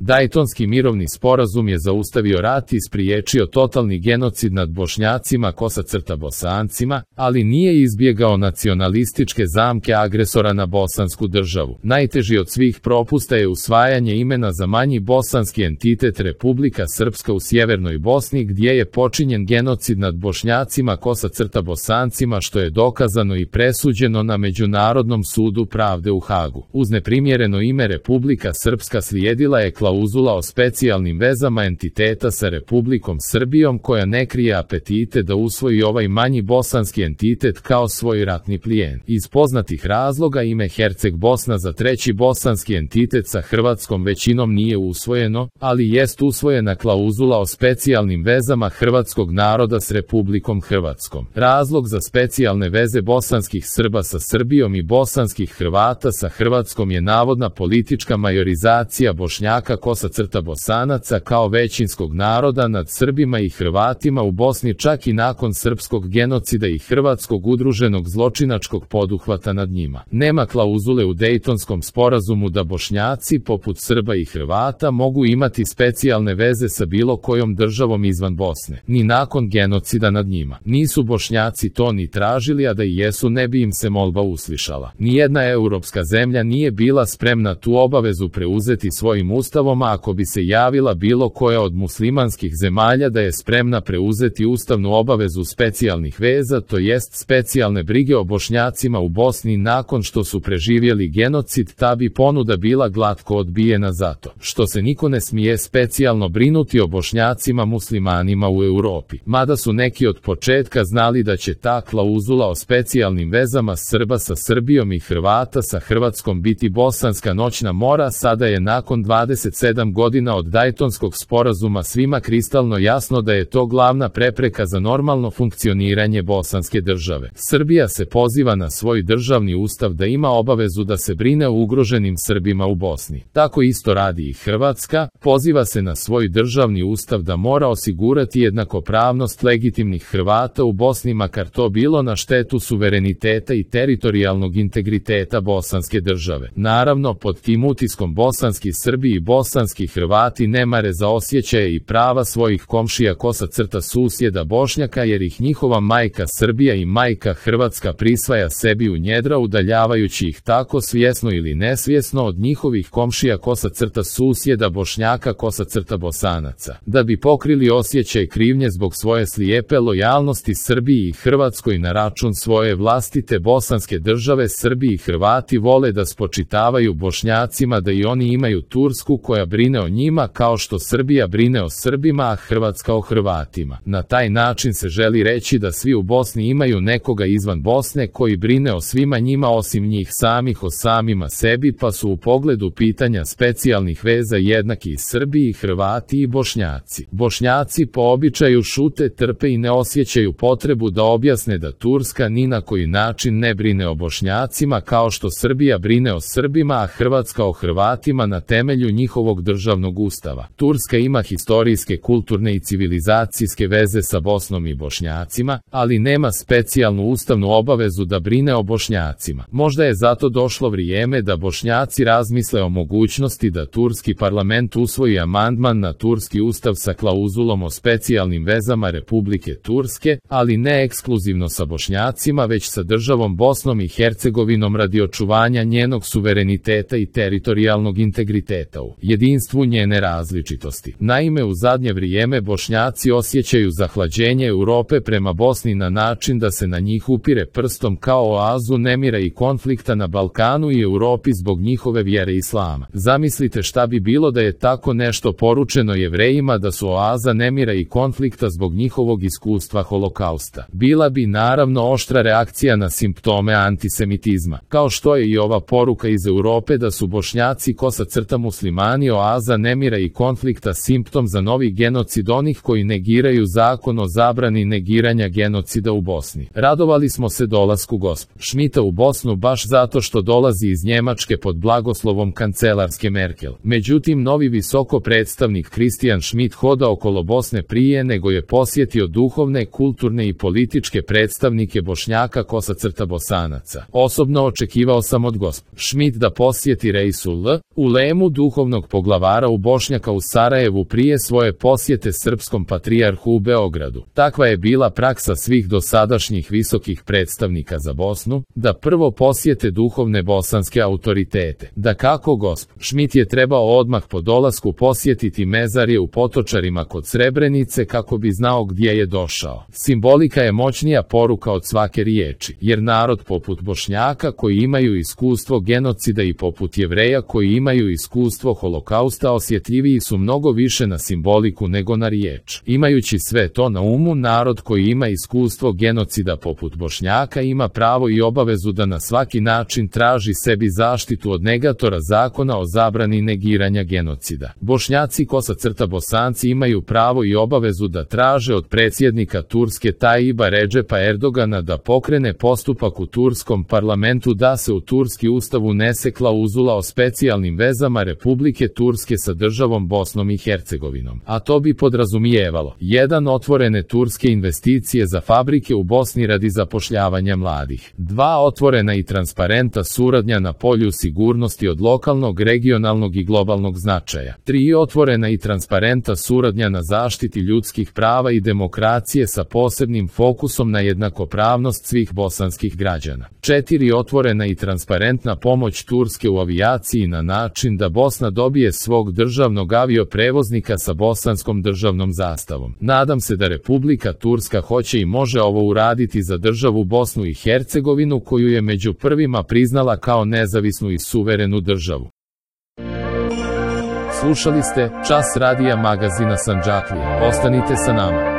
Dajtonski mirovni sporazum je zaustavio rat i spriječio totalni genocid nad Bošnjacima Bosancima, ali nije izbjegao nacionalističke zamke agresora na bosansku državu. Najteži od svih propusta je usvajanje imena za manji bosanski entitet Republika Srpska u sjevernoj Bosni, gdje je počinjen genocid nad Bošnjacima Bosancima, što je dokazano i presuđeno na Međunarodnom sudu pravde u Hagu. Uz neprimjereno ime Republika Srpska slijedila je klauzula o specijalnim vezama entiteta sa Republikom Srbijom, koja ne krije apetite da usvoji ovaj manji bosanski entitet kao svoj ratni plijen. Iz poznatih razloga ime Herceg Bosna za treći bosanski entitet sa hrvatskom većinom nije usvojeno, ali jest usvojena klauzula o specijalnim vezama hrvatskog naroda s Republikom Hrvatskom. Razlog za specijalne veze bosanskih Srba sa Srbijom i bosanskih Hrvata sa Hrvatskom je navodna politička majorizacija Bošnjaka Bosanaca kao većinskog naroda nad Srbima i Hrvatima u Bosni, čak i nakon srpskog genocida i hrvatskog udruženog zločinačkog poduhvata nad njima. Nema klauzule u Dejtonskom sporazumu da Bošnjaci, poput Srba i Hrvata, mogu imati specijalne veze sa bilo kojom državom izvan Bosne, ni nakon genocida nad njima. Nisu Bošnjaci to ni tražili, a da i jesu ne bi im se molba uslišala. Nijedna europska zemlja nije bila spremna tu obavezu preuzeti svojim ustavom, a ako bi se javila bilo koja od muslimanskih zemalja da je spremna preuzeti ustavnu obavezu specijalnih veza, to jest specijalne brige o Bošnjacima u Bosni nakon što su preživjeli genocid, ta bi ponuda bila glatko odbijena zato što se niko ne smije specijalno brinuti o Bošnjacima muslimanima u Europi. Mada su neki od početka znali da će ta klauzula o specijalnim vezama Srba sa Srbijom i Hrvata sa Hrvatskom biti bosanska noćna mora, sada je nakon 27 godina od Dajtonskog sporazuma svima kristalno jasno da je to glavna prepreka za normalno funkcioniranje bosanske države. Srbija se poziva na svoj državni ustav da ima obavezu da se brine o ugroženim Srbima u Bosni. Tako isto radi i Hrvatska, poziva se na svoj državni ustav da mora osigurati jednakopravnost legitimnih Hrvata u Bosni, makar to bilo na štetu suvereniteta i teritorijalnog integriteta bosanske države. Naravno, pod tim utiskom bosanski Srbi i bosanski Hrvati ne mare za osjećaje i prava svojih komšija susjeda Bošnjaka, jer ih njihova majka Srbija i majka Hrvatska prisvaja sebi u njedra, udaljavajući ih tako svjesno ili nesvjesno od njihovih komšija susjeda Bošnjaka Bosanaca. Da bi pokrili osjećaj krivnje zbog svoje slijepe lojalnosti Srbiji i Hrvatskoj na račun svoje vlastite bosanske države, Srbi i Hrvati vole da spočitavaju Bošnjacima da i oni imaju Tursku koja brine o njima kao što Srbija brine o Srbima, a Hrvatska o Hrvatima. Na taj način se želi reći da svi u Bosni imaju nekoga izvan Bosne koji brine o svima njima osim njih samih o samima sebi, pa su u pogledu pitanja specijalnih veza jednaki i Srbi i Hrvati i Bošnjaci. Bošnjaci po običaju šute, trpe i ne osjećaju potrebu da objasne da Turska ni na koji način ne brine o Bošnjacima kao što Srbija brine o Srbima, a Hrvatska o Hrvatima na temelju njihovog državnog ustava. Turska ima historijske, kulturne i civilizacijske veze sa Bosnom i Bošnjacima, ali nema specijalnu ustavnu obavezu da brine o Bošnjacima. Možda je zato došlo vrijeme da Bošnjaci razmisle o mogućnosti da turski parlament usvoji amandman na turski ustav sa klauzulom o specijalnim vezama Republike Turske, ali ne ekskluzivno sa Bošnjacima, već sa državom Bosnom i Hercegovinom radi očuvanja njenog suvereniteta i teritorijalnog integriteta u jedinstvu njene različitosti. Naime, u zadnje vrijeme Bošnjaci osjećaju zahlađenje Europe prema Bosni na način da se na njih upire prstom kao oazu nemira i konflikta na Balkanu i Europi zbog njihove vjere islama. Zamislite šta bi bilo da je tako nešto poručeno Jevrejima, da su oaza nemira i konflikta zbog njihovog iskustva holokausta. Bila bi naravno oštra reakcija na simptome antisemitizma, kao što je i ova poruka iz Europe da su Bošnjaci muslimani oaza nemira i konflikta simptom za novi genocid onih koji negiraju zakon o zabrani negiranja genocida u Bosni. Radovali smo se dolasku Schmidta u Bosnu baš zato što dolazi iz Njemačke pod blagoslovom kancelarske Merkel. Međutim, novi visoko predstavnik Christian Schmidt hoda okolo Bosne prije nego je posjetio duhovne, kulturne i političke predstavnike Bošnjaka Bosanaca. Osobno očekivao sam od Schmidt da posjeti Reisul ulemu duhovnog poglavara u Bošnjaka u Sarajevu prije svoje posjete srpskom patrijarhu u Beogradu. Takva je bila praksa svih dosadašnjih visokih predstavnika za Bosnu, da prvo posjete duhovne bosanske autoritete. Dakako gosp. Šmit je trebao odmah po dolasku posjetiti mezarje u Potočarima kod Srebrenice kako bi znao gdje je došao. Simbolika je moćnija poruka od svake riječi, jer narod poput Bošnjaka koji imaju iskustvo genocida i poput Jevreja koji imaju iskustvo holokausta osjetljiviji su mnogo više na simboliku nego na riječ. Imajući sve to na umu, narod koji ima iskustvo genocida poput Bošnjaka ima pravo i obavezu da na svaki način traži sebi zaštitu od negatora zakona o zabrani negiranja genocida. Bošnjaci _Bosanci imaju pravo i obavezu da traže od predsjednika Turske Tajiba Redžepa Erdogana da pokrene postupak u turskom parlamentu da se u turski ustav unese klauzula o specijalnim vezama Republike Turske sa državom Bosnom i Hercegovinom. A to bi podrazumijevalo 1. Otvorene turske investicije za fabrike u Bosni radi zapošljavanja mladih. 2. Otvorena i transparentna suradnja na polju sigurnosti od lokalnog, regionalnog i globalnog značaja. 3. Otvorena i transparentna suradnja na zaštiti ljudskih prava i demokracije sa posebnim fokusom na jednakopravnost svih bosanskih građana. 4. Otvorena i transparentna pomoć Turske u avijaciji na način da Bosna dobije svog državnog avioprevoznika sa bosanskom državnom zastavom. Nadam se da Republika Turska hoće i može ovo uraditi za državu Bosnu i Hercegovinu koju je među prvima priznala kao nezavisnu i suverenu državu. Slušali ste Čas radija magazina Sandžaklija. Ostanite sa nama.